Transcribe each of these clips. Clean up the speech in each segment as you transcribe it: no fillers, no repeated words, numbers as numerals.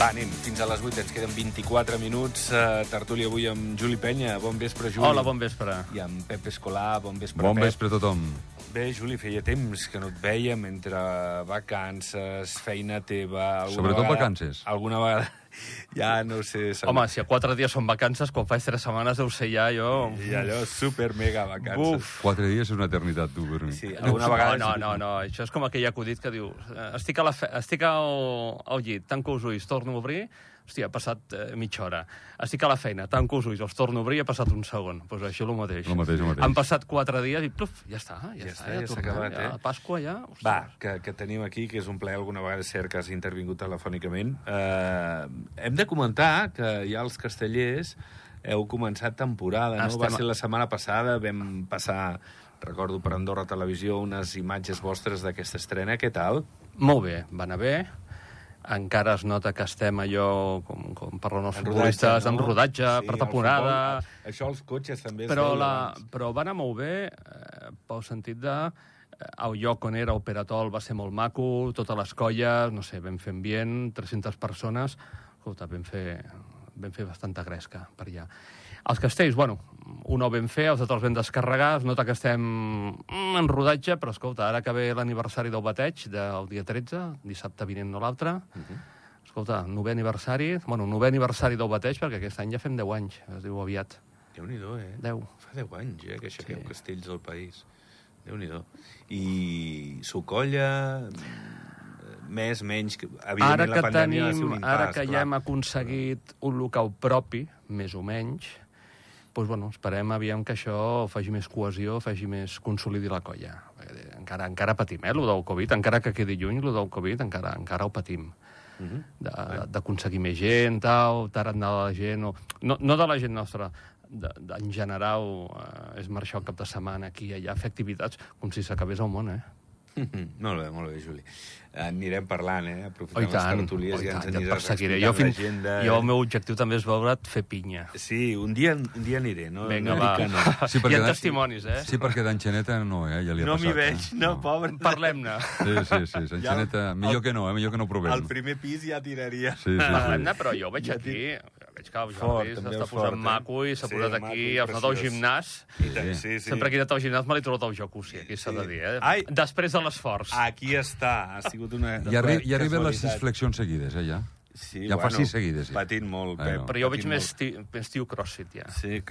Va, anem, fins a les 8, ens queden 24 minuts. Tertúlia avui amb Juli Penya. Bon vespre, Juli. Hola, bon vespre. I amb Pep Escolà. Bon vespre, Bon Pep. vespre a tothom. Bé, Juli, feia temps que no et vèiem entre vacances, feina teva... Sobretot vacances. Alguna vegada... Ja no sé... Home, si a 4 dies són vacances, quan faig 3 setmanes deu ser ja jo... I allò, super mega vacances. Buf. 4 dies és una eternitat, tu, per mi. Sí, alguna vegada... No, això és com aquell acudit que diu estic al llit, tanco els ulls, torno a obrir, hòstia, ha passat mitja hora. Estic a la feina, tanco els ulls, els torno a obrir, ha passat un segon. Doncs això el mateix. El mateix. Han passat 4 dies i pluf, ja està, ja s'ha tornem, acabat, ja, Pasqua ja... Ostres. Va, que tenim aquí, que és un plaer, alguna vegada és cert que has intervingut telefònicament. Hem de comentar que ja els castellers heu començat temporada, no? Va ser la setmana passada, vam passar, recordo per Andorra Televisió, unes imatges vostres d'aquesta estrena. Què tal? Molt bé, va anar bé. Encara es nota que estem allò, com parlen els futbolistes, en rodatge, sí, per temporada... Això els cotxes també es però veuen. Però va anar molt bé, pel sentit de... El lloc on era Operatol va ser molt maco, totes les colles, no sé, vam fer ambient, 300 persones... Escolta, vam fer bastanta gresca per allà. Els castells, bueno, un ho vam fer, els altres vam descarregar, es nota que estem en rodatge, però escolta, ara que ve l'aniversari del bateig, del dia 13, dissabte vinent no l'altre, escolta, 9è aniversari del bateig, perquè aquest any ja fem 10 anys, es diu aviat. Déu-n'hi-do, 10. Fa 10 anys, que aixequem castells al país. Déu-n'hi-do. I s'ho colla... Més, menys... Evidentment, la pandèmia va ser un impàs. Ara que ja hem aconseguit un local propi, més o menys, doncs, bueno, esperem aviam que això faci més cohesió, faci més consolidi la colla. Encara patim, lo del Covid, encara que quedi lluny, lo del Covid, encara ho patim. D'aconseguir més gent, tarannà de la gent... No de la gent nostra, en general, és marxar el cap de setmana aquí i allà, fer activitats com si s'acabés el món, Molt bé, Juli. Anirem parlant, aprofitant les tertúlies. Ja et perseguiré. Jo el meu objectiu també és veure't fer pinya. Sí, un dia aniré. Vinga, va. Sí, hi ha testimonis, Sí, perquè d'Enxaneta no, ja li ha passat. No m'hi veig, pobre. Parlem-ne. Sí, Enxaneta, millor que no provem. Al primer pis ja tiraria. Parlem-ne, però jo ho veig aquí. Veig que el Jordi s'està posant maco i s'ha posat aquí, els anat al gimnàs. Sempre que he anat al gimnàs me l'he trobat al jacuzzi, aquí s'ha de dir, després de l'esforç. Aquí està, ha sigut una... Ja arriben les 6 flexions seguides, ja. Ja fa 6 seguides. Patint molt, Pep. Però jo veig més tio CrossFit, ja. Sí.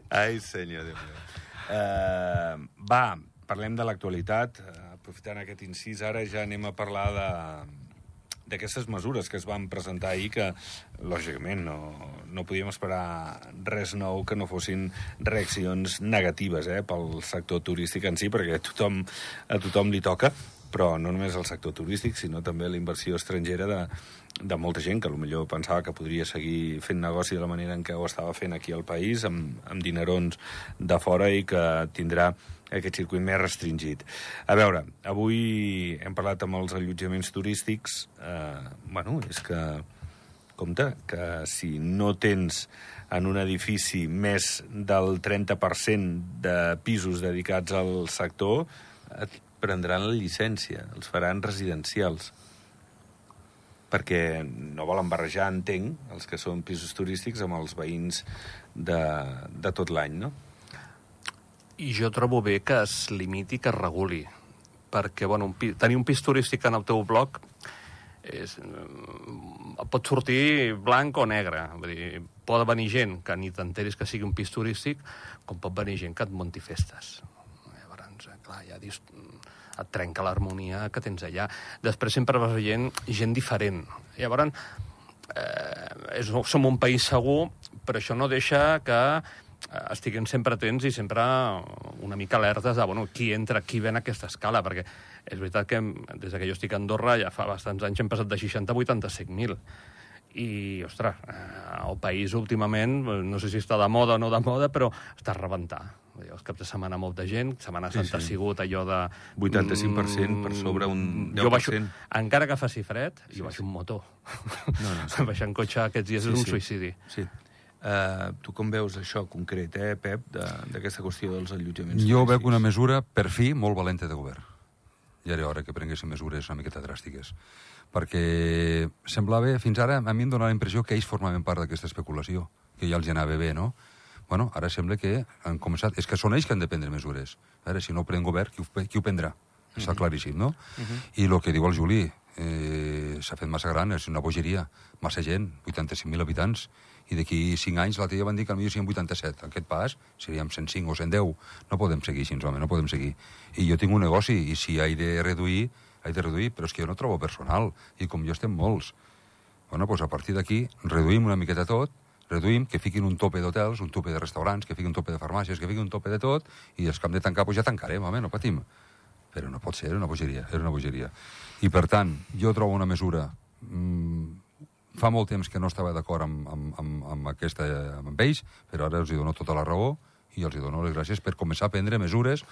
Ai, senyor, Déu meu. Va, parlem de l'actualitat. Aprofitant aquest incís, ara ja anem a parlar d'aquestes mesures que es van presentar ahir, que, lògicament, no podíem esperar res nou que no fossin reaccions negatives pel sector turístic en si, perquè a tothom li toca, però no només al sector turístic, sinó també la inversió estrangera de molta gent que potser pensava que podria seguir fent negoci de la manera en què ho estava fent aquí al país, amb dinerons de fora, i que tindrà aquest circuit més restringit. A veure, avui hem parlat amb els allotjaments turístics. És que, compte, que si no tens en un edifici més del 30% de pisos dedicats al sector, et prendran la llicència, els faran residencials. Perquè no volen barrejar, entenc, els que són pisos turístics amb els veïns de tot l'any, no? I jo trobo bé que es limiti, que es reguli, perquè tenir un pis turístic en el teu bloc pot sortir blanc o negre. Vull dir, pot venir gent que ni t'enteris que sigui un pis turístic, com pot venir gent que et munti festes. Llavors, clar, ja et trenca l'harmonia que tens allà. Després sempre vas veient gent diferent. Llavors, som un país segur, però això no deixa que estiguem sempre atents i sempre una mica alertes de qui entra, qui ven a aquesta escala, perquè és veritat que des que jo estic a Andorra ja fa bastants anys hem passat de 60 a 85.000. I, ostres, el país últimament, no sé si està de moda o no de moda, però està a rebentar. Els caps de setmana molta gent, Setmana Santa ha sigut allò de... 85% per sobre un 10%. Jo baixo, encara que faci fred, jo baixo un motor. Baixar en cotxe aquests dies és un suïcidi. Sí. Tu com veus això concret, Pep, d'aquesta qüestió dels allotjaments? Jo veig una mesura, per fi, molt valenta de govern. ja era hora que prenguessin mesures una miqueta dràstiques. Perquè semblava, fins ara, a mi em donava la impressió que ells formaven part d'aquesta especulació, que ja els anava bé, no? Bueno, ara sembla que han començat... És que són ells que han de prendre mesures. A veure, si no ho pren govern, qui ho prendrà? Està claríssim, no? I el que diu el Juli, s'ha fet massa gran, és una bogeria, massa gent, 85.000 habitants, i d'aquí 5 anys l'altre dia van dir que potser siguin 87. Aquest pas seríem 105 o 110. No podem seguir així, home, no podem seguir. I jo tinc un negoci, i si he de reduir, però és que jo no trobo personal, i com jo estem molts. Bueno, doncs a partir d'aquí reduïm una miqueta tot, reduïm, que fiquin un tope d'hotels, un tope de restaurants, que fiquin un tope de farmàcies, que fiquin un tope de tot, i els que hem de tancar, doncs ja tancarem, home, no patim. Però no pot ser, era una bogeria. I, per tant, jo trobo una mesura... Fa molt temps que no estava d'acord amb ells, però ara els dono tota la raó i els dono les gràcies per començar a prendre mesures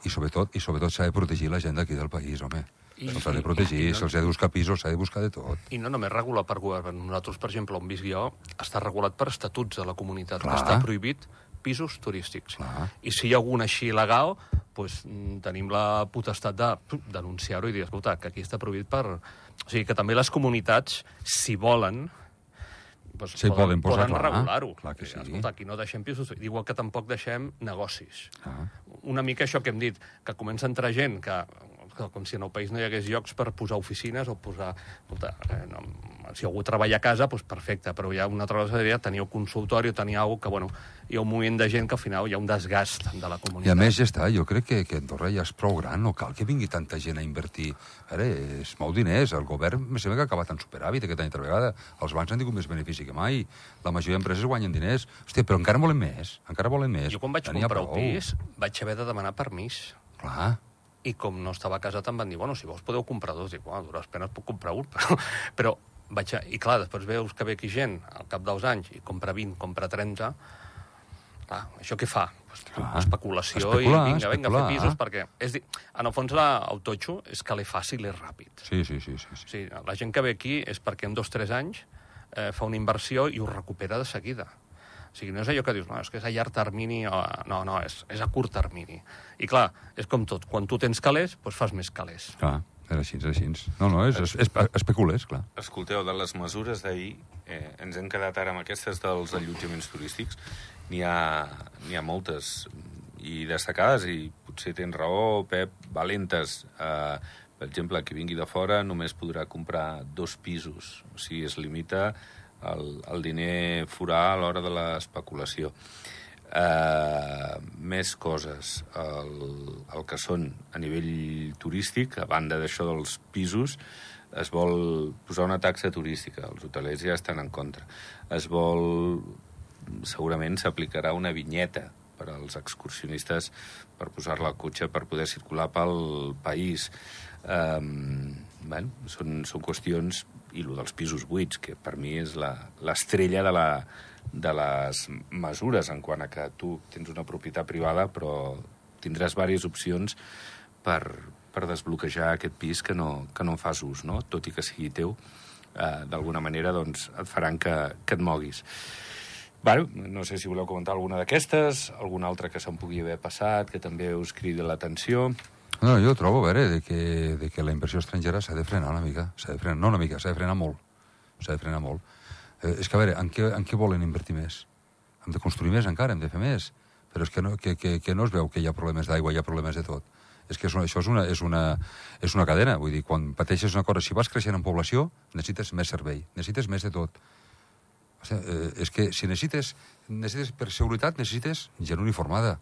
i sobretot s'ha de protegir la gent d'aquí del país, home. Se'ls ha de protegir, se'ls ha de buscar pisos, s'ha de buscar de tot. I no només regular per govern. Nosaltres, per exemple, on visc jo, està regulat per estatuts de la comunitat, que està prohibit pisos turístics. I si hi ha algun així il·legal, doncs tenim la potestat de denunciar-ho i dir, escolta, que aquí està prohibit per... O sigui, que també les comunitats, si volen, doncs poden regular-ho. Escolta, aquí no deixem pisos, igual que tampoc deixem negocis. Una mica això que hem dit, que comença a entrar gent que com si en el país no hi hagués llocs per posar oficines o posar... Escolta, si algú treballa a casa, doncs perfecte, però hi ha una altra cosa seria tenir un consultori o tenir alguna cosa que, bueno, hi ha un moviment de gent que al final hi ha un desgast de la comunitat. I a més ja està, jo crec que Andorra ja és prou gran, no cal que vingui tanta gent a invertir. A veure, és mou diners, el govern me sembla que ha acabat en superàvit aquesta altra vegada, els bancs han tingut més benefici que mai, la majoria d'empreses guanyen diners. Hòstia, però encara volen més. Jo quan vaig comprar el pis vaig haver de demanar permís. Clar. I com no estava casat em van dir, bueno, si vols podeu comprar dos. Dic, bueno, a dures penes puc comprar un, però vaig a... I clar, després veus que ve aquí gent al cap dels anys i compra 20, compra 30... Clar, això què fa? Especulació i vinga, a fer pisos, perquè... En el fons, el totxo és que l'és fàcil i és ràpid. Sí. La gent que ve aquí és perquè en 2 o 3 anys fa una inversió i ho recupera de seguida. O sigui, no és allò que dius, no, és que és a llarg termini, no, és a curt termini. I clar, és com tot, quan tu tens calés, doncs fas més calés. Clar, és així. No, especules, clar. Escolteu, de les mesures d'ahir, ens hem quedat ara amb aquestes dels allotjaments turístics. N'hi ha moltes i destacades, i potser tens raó, Pep, valentes. Per exemple, qui vingui de fora només podrà comprar 2 pisos. O sigui, es limita el diner forà a l'hora de l'especulació. Més coses. El que són a nivell turístic, a banda d'això dels pisos, es vol posar una taxa turística. Els hotelers ja estan en contra. Segurament s'aplicarà una vinyeta per als excursionistes per posar-la al cotxe per poder circular pel país. Són qüestions, i el dels pisos buits, que per mi és l'estrella de les mesures, en quant a que tu tens una propietat privada, però tindràs diverses opcions per desbloquejar aquest pis que no en fas ús, no? Tot i que sigui teu, d'alguna manera doncs, et faran que et moguis. No sé si voleu comentar alguna d'aquestes, alguna altra que se'n pugui haver passat, que també us cridi l'atenció. No, jo trobo, a veure, que la inversió estrangera s'ha de frenar una mica. S'ha de frenar molt. És que, a veure, en què volen invertir més? Hem de construir més encara, hem de fer més. Però és que no es veu que hi ha problemes d'aigua, hi ha problemes de tot. És que això és una cadena. Vull dir, quan pateixes una cosa, si vas creixent en població, necessites més servei, necessites més de tot. O sigui, és que si necessites per seguretat, necessites gent uniformada.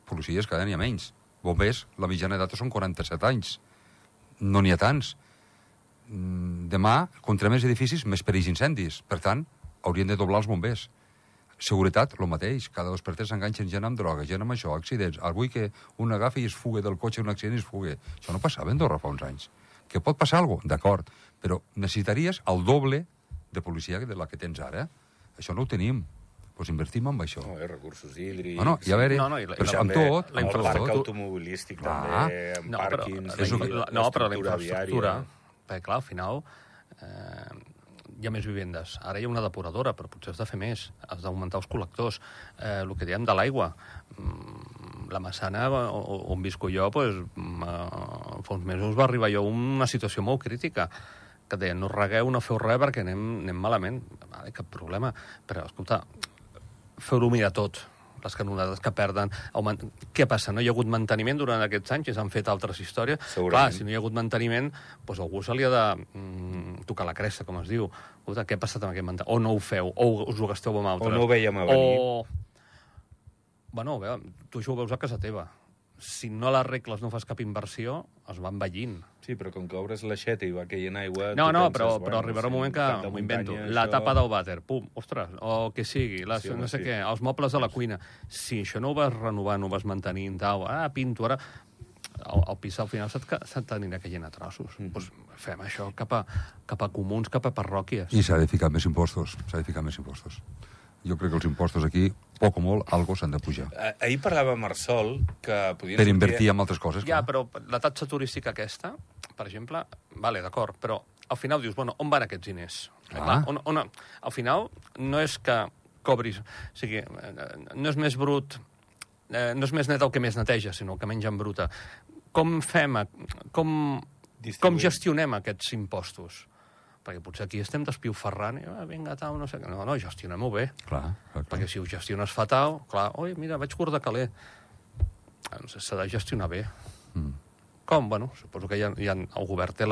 Policies cada any hi ha menys. Bombers, la mitjana d'edat són 47 anys. No n'hi ha tants. Demà, contra més edificis, més perills incendis. Per tant, haurien de doblar els bombers. Seguretat, el mateix. Cada 2 per 3 s'enganxen gent amb droga, gent amb això, accidents. Avui que un agafi i es fuga del cotxe, un accident i es fuga. Això no passava a Andorra fa uns anys. Que pot passar alguna cosa? D'acord. Però necessitaries el doble de policia de la que tens ara. Això no ho tenim. Doncs invertim en això. Recursos hídrics... I a veure, però amb tot... El parc automobilístic també, amb pàrquings... Però la infraestructura... Perquè, clar, al final hi ha més vivendes. Ara hi ha una depuradora, però potser has de fer més. Has d'augmentar els col·lectors. El que diem de l'aigua. la Massana, on visco jo, doncs, fa uns mesos va arribar jo a una situació molt crítica, que deien, no regueu, no feu res perquè anem malament. Vale, cap problema. Però, escolta, feu-ho mirar tot. Les canonades que perden. Què passa? No hi ha hagut manteniment durant aquests anys i s'han fet altres històries. Clar, si no hi ha hagut manteniment, doncs algú se li ha de tocar la cresta, com es diu. Escolta, què ha passat amb aquest manteniment? O no ho feu, o us ho gasteu amb altres. O no ho veiem a venir. Bueno, tu això ho veus a casa teva. Si no l'arregles, no fas cap inversió, es va envellint. Sí, però com que obres l'aixeta i va caient aigua... No, però arribarà un moment que m'ho invento. La tapa del vàter, pum, ostres, o que sigui, no sé què, els mobles de la cuina. Si això no ho vas renovar, no ho vas mantenir, pinto, ara... El pis al final t'anirà caient a trossos. Doncs fem això cap a comuns, cap a parròquies. I s'ha de ficar més impostos, Jo crec que els impostos aquí, poc o molt, algo s'han de pujar. Ahir parlava amb Marsol que podien... Per invertir en altres coses, clar. Ja, però la taxa turística aquesta, per exemple, vale, d'acord, però al final dius, bueno, on van aquests diners? Clar, al final no és que cobris... O sigui, no és més brut... no és més net el que més neteja, sinó el que menys embruta. Com fem... Com gestionem aquests impostos? Perquè potser aquí estem despilferrant i vinga, tal, no sé què. No, gestionem-ho bé. Clar. Perquè si ho gestiones fatal, clar, oi, mira, vaig curt de caler. No sé, s'ha de gestionar bé. Com? Bueno, suposo que el govern té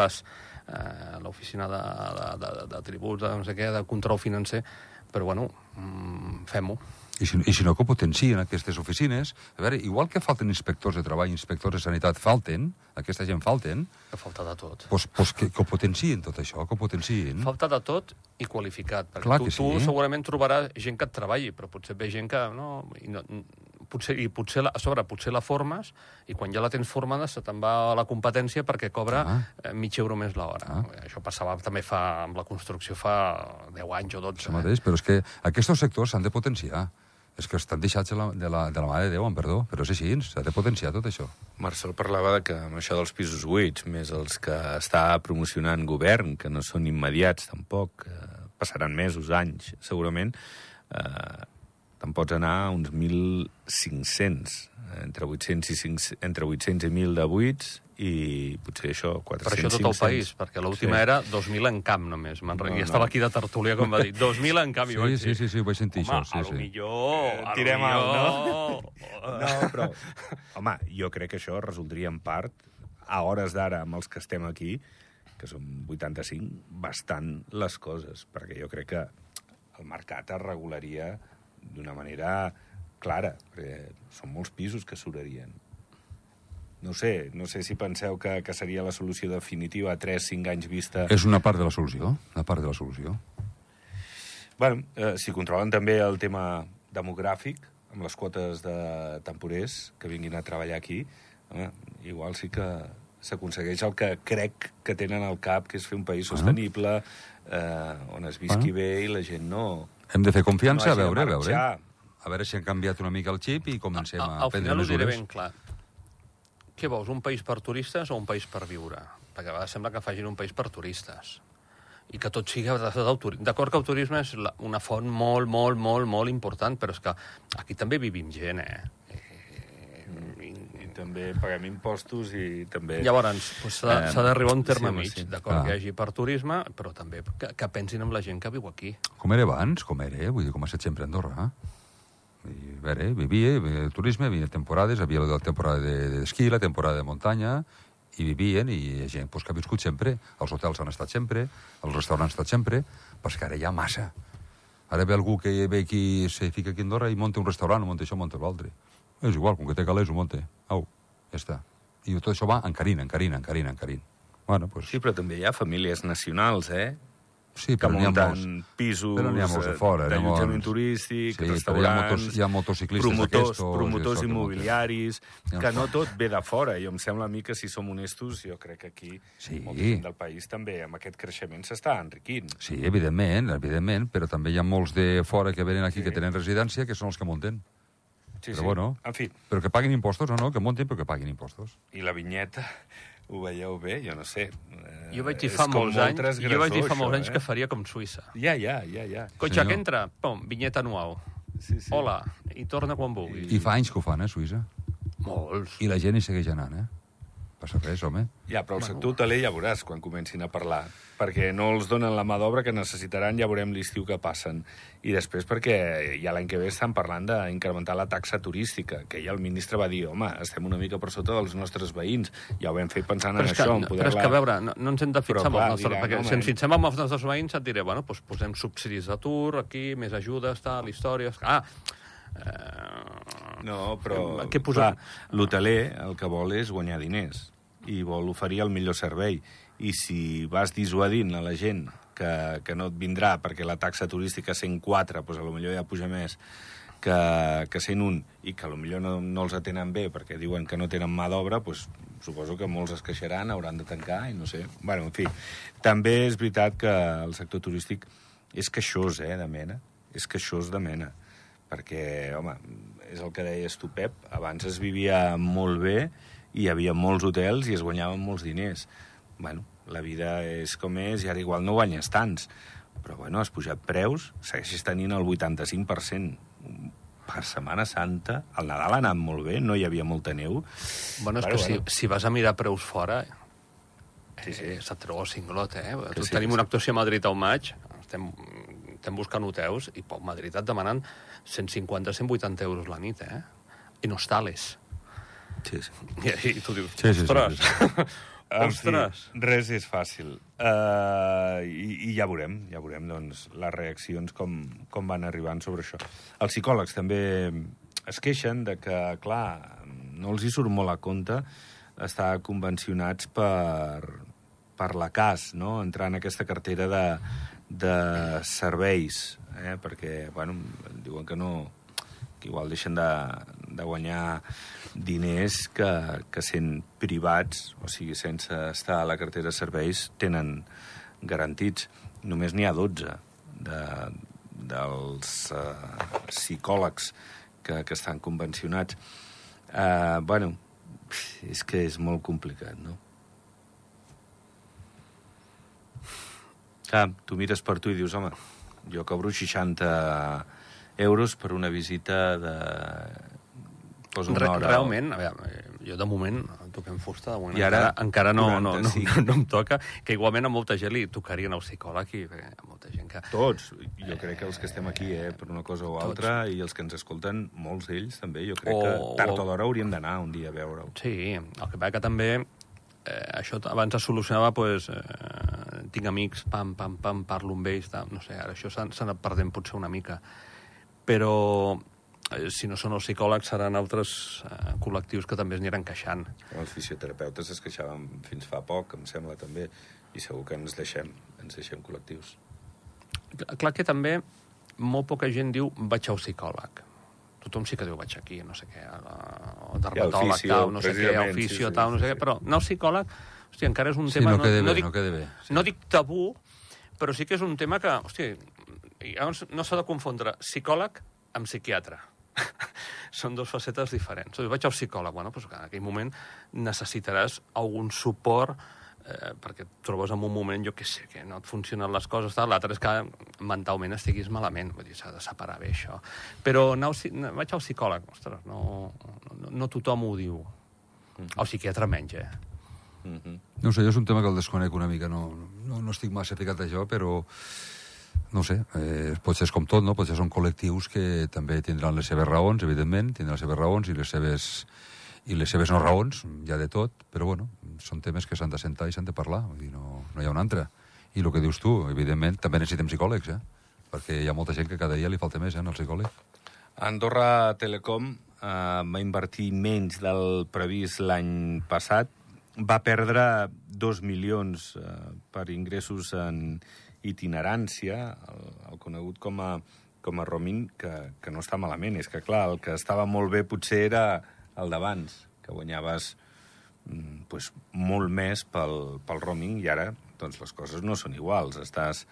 l'oficina de tributs, de no sé què, de control financer, però bueno, fem-ho. I si no, que potencien aquestes oficines. A veure, igual que falten inspectors de treball, inspectors de sanitat, aquesta gent falten... Que falta de tot. Doncs que ho potencien, tot això, que ho potencien. Falta de tot i qualificat. Perquè tu segurament trobaràs gent que et treballi, però potser ve gent que... Potser la formes i quan ja la tens formada se te'n va a la competència perquè cobra mig euro més l'hora. Això passava també amb la construcció fa 10 anys o 12. Això mateix, però és que aquests sectors s'han de potenciar. És que estan deixats de la mà de Déu, amb perdó, però és així, s'ha de potenciar tot això. Marcel parlava que amb això dels pisos buits, més els que està promocionant govern, que no són immediats tampoc, passaran mesos, anys, segurament, te'n pots anar a uns 1.500, entre 800 i 1.000 de buits, i potser això, 400, 500... Per això tot el país, perquè l'última era 2.000 en camp només. I estava aquí de tertúlia, com va dir, 2.000 en camp. Sí, ho vaig sentir, això. Home, millor... Tirem alt, no? No, però... Home, jo crec que això resoldria en part, a hores d'ara, amb els que estem aquí, que som 85, bastant les coses, perquè jo crec que el mercat es regularia d'una manera clara, perquè són molts pisos que s'obrarien. No sé si penseu que seria la solució definitiva a 3-5 anys vista... És una part de la solució, Bueno, si controlen també el tema demogràfic, amb les quotes de temporers que vinguin a treballar aquí, igual sí que s'aconsegueix el que crec que tenen al cap, que és fer un país sostenible, on es visqui bé i la gent no... Hem de fer confiança, a veure si han canviat una mica el xip i comencem a prendre mesures. Al final ho diré ben clar. Què vols, un país per turistes o un país per viure? Perquè a vegades sembla que facin un país per turistes. I que tot sigui del turisme. D'acord que el turisme és una font molt, molt, molt, molt important, però és que aquí també vivim gent, I també paguem impostos i també... Llavors, s'ha d'arribar a un terme mig. D'acord que hi hagi per turisme, però també que pensin en la gent que viu aquí. Com era abans, vull dir, com ha estat sempre a Andorra, vivia turisme, havia temporades, havia la temporada d'esquí, la temporada de muntanya, i vivien, i hi ha gent que ha viscut sempre, els hotels han estat sempre, els restaurants han estat sempre, perquè ara hi ha massa. Ara ve algú que ve aquí, se fica aquí a Andorra i munta un restaurant, o munta això, monta l'altre. És igual, com que té calés, ho munta. Ja està. I tot això va encarint. Bueno, pues... Sí, però també hi ha famílies nacionals, Sí, que munten pisos d'allotjament turístic, restaurants, hi ha motociclistes promotors immobiliaris, que no tot ve de fora. I em sembla a mi que, si som honestos, jo crec que aquí molta gent del país també amb aquest creixement s'està enriquint. Sí, evidentment, però també hi ha molts de fora que venen aquí, que tenen residència, que són els que munten. Però bueno, en fi. Però que paguin impostos o no, que muntin, però que paguin impostos. I la vinyeta... Ho veieu bé? Jo no sé. Jo vaig dir fa molts anys que faria com Suïssa. Ja. Cotxe que entra, pum, vinyeta anual. Hola, i torna quan vulguis. I fa anys que ho fan, Suïssa. Molts. I la gent hi segueix anant, Passa res, home. Ja, però el sector hoteler ja veuràs quan comencin a parlar, perquè no els donen la mà d'obra que necessitaran, ja veurem l'estiu que passen. I després perquè ja l'any que ve estan parlant d'incrementar la taxa turística, que ja el ministre va dir, home, estem una mica per sota dels nostres veïns. Ja ho vam fer pensant en això. Però és que, a veure, no ens hem de fixar amb els nostres... Perquè si ens fixem amb els nostres veïns et diré, bueno, doncs posem subsidis d'atur aquí, més ajudes, tal, històries... No, però clar, l'hoteler el que vol és guanyar diners i vol oferir el millor servei. I si vas dissuadint a la gent que no et vindrà perquè la taxa turística 104, doncs potser ja puja més que 101, i que potser no els atenen bé perquè diuen que no tenen mà d'obra, doncs suposo que molts es queixaran, hauran de tancar, i no sé. Bueno, en fi, també és veritat que el sector turístic és queixós, de mena. És queixós de mena. Perquè, home, és el que deies tu, Pep, abans es vivia molt bé, hi havia molts hotels i es guanyaven molts diners. Bueno, la vida és com és i ara igual no guanyes tants. Però, bueno, has pujat preus, segueixes tenint el 85%. Per Setmana Santa, el Nadal ha anat molt bé, no hi havia molta neu. Bueno, és que si vas a mirar preus fora, sí. se't treu el cinglot, Tenim una actuació a Madrid al maig, estem buscant hotels, i a Madrid et demanen 150-180 euros la nit, I no hostales. Sí. I tu dius, ostres. Ostres. Res és fàcil. I ja veurem, doncs, les reaccions com van arribant sobre això. Els psicòlegs també es queixen de que, clar, no els hi surt molt a compte estar convencionats per la CAS, no? Entrar en aquesta cartera de serveis, perquè, bueno, diuen que no, que igual deixen de guanyar diners que sent privats, o sigui, sense estar a la cartera de serveis, tenen garantits. Només n'hi ha 12 dels psicòlegs que estan convencionats. Bueno, és que és molt complicat, no? Clar, tu mires per tu i dius, home, jo cobro 60 euros per una visita de... Realment, a veure, jo de moment toquem fusta, de moment encara no em toca, que igualment a molta gent li tocarien el psicòleg, i hi ha molta gent que... Tots, jo crec que els que estem aquí, per una cosa o altra, i els que ens escolten, molts d'ells també, jo crec que tard o d'hora hauríem d'anar un dia a veure-ho. Sí, el que passa que també això abans es solucionava, tinc amics, pam, parlo amb ells, no sé, ara això s'ha anat perdent potser una mica, però si no són els psicòlegs seran altres col·lectius que també es aniran queixant. Els fisioterapeutes es queixaven fins fa poc, em sembla, també, i segur que ens deixem col·lectius. Clar que també molt poca gent diu vaig al psicòleg. Tothom sí que diu vaig aquí, no sé què, o dermatòleg, tal, no sé què, oficio, tal, no sé què, però anar al psicòleg, hòstia, encara és un tema... Sí, no queda bé. No dic tabú, però sí que és un tema que, hòstia, no s'ha de confondre psicòleg amb psiquiatre. Són dues facetes diferents. Vaig al psicòleg, bueno, doncs en aquell moment necessitaràs algun suport perquè et trobes en un moment, jo què sé, que no et funcionen les coses, tal. L'altre és que mentalment estiguis malament, vull dir, s'ha de separar bé això. Però vaig al psicòleg, ostres, no tothom ho diu. El psiquiatre menys, No sé, jo és un tema que el desconec una mica, no estic massa ficat a això, però no sé, potser és com tot, no? Potser són col·lectius que també tindran les seves raons, evidentment, tindran les seves raons i les seves no raons, hi ha de tot, però bueno, són temes que s'han de sentar i s'han de parlar, vull dir, no hi ha un altre. I el que dius tu, evidentment, també necessitem psicòlegs, perquè hi ha molta gent que cada dia li falta més, al psicòleg. Andorra Telecom va invertir menys del previst l'any passat, va perdre 2 milions per ingressos en itinerància, el conegut com a roaming, que no està malament. És que, clar, el que estava molt bé potser era el d'abans, que guanyaves molt més pel roaming, i ara doncs, les coses no són iguals. Estàs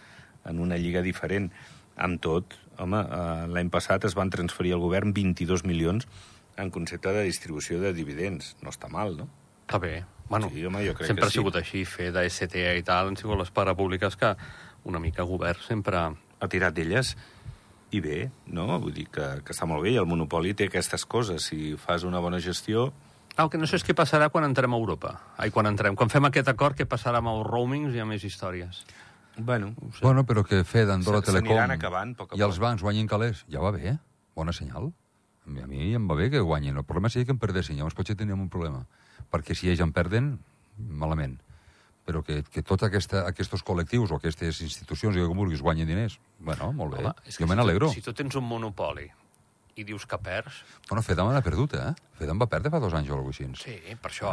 en una lliga diferent. Amb tot, home, l'any passat es van transferir al govern 22 milions en concepte de distribució de dividends. No està mal, no? Està bé. Bueno, sí, home, jo crec sempre que sí. Ha sigut així, fer de STA i tal, han sigut les parapúbliques que una mica govern sempre... Ha tirat d'elles, i bé, no? Vull dir que està molt bé, i el monopoli té aquestes coses. Si fas una bona gestió, El que no sé és què passarà quan entrem a Europa. Quan fem aquest acord, què passarà amb els roamings i amb més històries. Bueno, Bueno, però que Fed, Andorra Telecom s'aniran acabant, a poc a i els poc. bancs guanyin calés, ja va bé, bona senyal. A mi em va bé que guanyin. El problema seria que en perdessin, llavors potser teníem un problema. Perquè si ells en perden, malament. Però que tots aquests col·lectius o aquestes institucions, com vulguis, guanyin diners, bueno, molt bé. Home, és que Jo me n'alegro. Si tu tens un monopoli i dius que perds... Bueno, Fedam l'ha perdut, Fedam va perdre fa 2 anys o alguna cosa així. Sí, per això...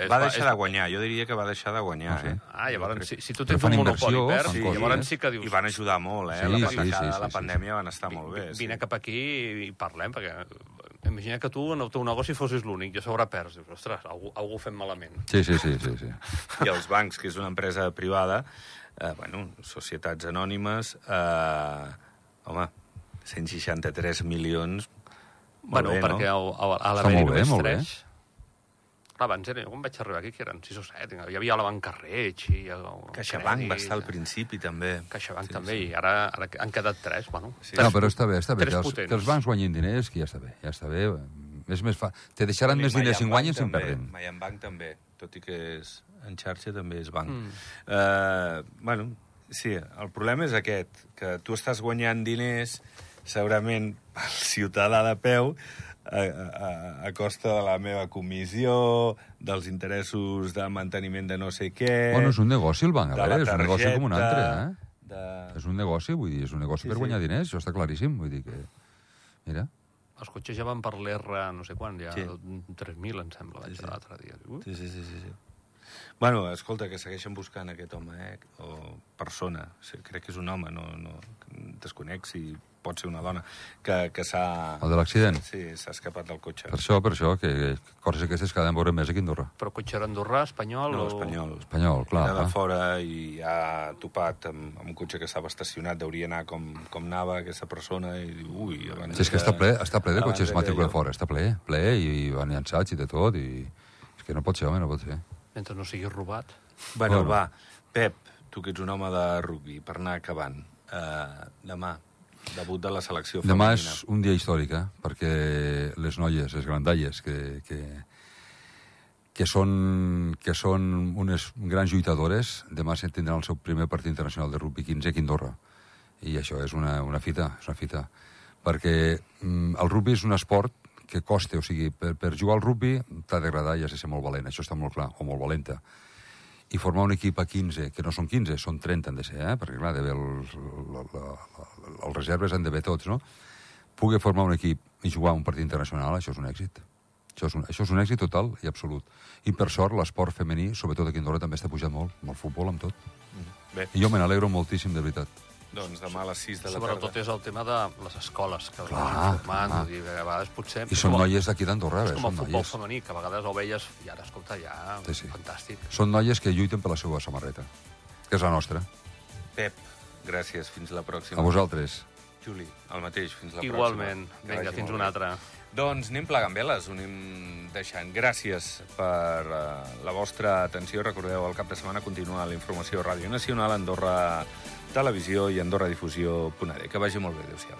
Va deixar de guanyar, jo diria que va deixar de guanyar, Ah, sí? Llavors, si tu Però tens fan un monopoli i inversió, perds, fan coses, llavors sí que dius... I van ajudar molt, Sí, la pandèmia van estar molt bé. Vine cap aquí i parlem, perquè imagina que tu en el teu negoci fossis l'únic i a sobre perds. Dius, ostres, algú fem malament. Sí. I els bancs, que és una empresa privada, societats anònimes, home, 163 milions... Bueno, bé, perquè no? a Està l'haver-hi molt bé, només molt bé. 3... Clar, abans era, quan vaig arribar aquí, que eren 6 o 7, hi havia la Banca Reig i... CaixaBank va estar al principi, també. CaixaBank també, i ara han quedat 3, bueno... Sí. No, però està bé. Tres Que potents. els bancs guanyin diners, que ja està bé. És més te deixaran més diners si en guanyen si en perden. Bank també, tot i que és en xarxa també és banc. Sí, el problema és aquest, que tu estàs guanyant diners, segurament pel ciutadà de peu, a costa de la meva comissió, dels interessos de manteniment de no sé què... Bueno, és un negoci el banc, a veure, és un negoci com un altre, de- És un negoci, vull dir, és un negoci per guanyar diners, això està claríssim, vull dir que... Mira, Els cotxes ja van per l'R, no sé quan, ja Sí. 3.000, em sembla, vaig l'altre dia. Sí. Bueno, escolta, que segueixen buscant aquest home, o persona, crec que és un home, no desconec si pot ser una dona, que s'ha... el de l'accident. Sí, s'ha escapat del cotxe. Per això, que coses aquestes cada any veurem més aquí a Andorra. Però cotxe era andorrà, espanyol No, o... espanyol. Espanyol, clar. Era de fora i ha topat amb un cotxe que estava estacionat, hauria anar com anava aquesta persona i diu, ui... Sí, és que està ple de abans cotxes de matrícula allò. fora, està ple, i van llançats i de tot, i... És que no pot ser, home, no pot ser. Mentre no sigui robat. Bueno, Bueno. va, Pep, tu que ets un home de rugbi, per anar acabant, demà, debut de la selecció Demà femenina. és un dia històric, perquè les noies, les grandalles, que són unes grans lluitadores, demà tindran el seu primer partit internacional de rugbi 15 aquí a Andorra. I això és una fita, perquè el rugbi és un esport que costa, o sigui, per jugar al rugbi t'ha d'agradar i has de ser molt valent, això està molt clar, o molt valenta. I formar un equip a 15, que no són 15, són 30 han de ser, perquè clar, els reserves han d'haver tots, no? Poder formar un equip i jugar un partit internacional, això és un èxit. Això és un èxit total i absolut. I per sort, l'esport femení, sobretot aquí a Andorra, també està pujant molt, amb el futbol, amb tot. Bé, I jo me n'alegro moltíssim, de veritat. doncs demà a les 6 de la Sobretot tarda. és el tema de les escoles, que Clar, van formant, clar. vull dir, que a vegades potser... I són noies d'aquí d'Andorra, És com el són futbol noies. femení, que a vegades ho veies i ara, escolta, ja... Sí. Fantàstic. Són noies que lluiten per la seva samarreta, que és la nostra. Pep, gràcies, fins la pròxima. A vosaltres. Juli, el mateix, fins la Igualment. pròxima. Que Vinga, vagi fins molt una bé. altra. Doncs anem plegant veles, ho anem deixant. Gràcies per la vostra atenció. Recordeu, el cap de setmana continua la informació a Ràdio Nacional, Andorra Televisió i AndorraDifusió.d. Que vagi molt bé, adéu-siau.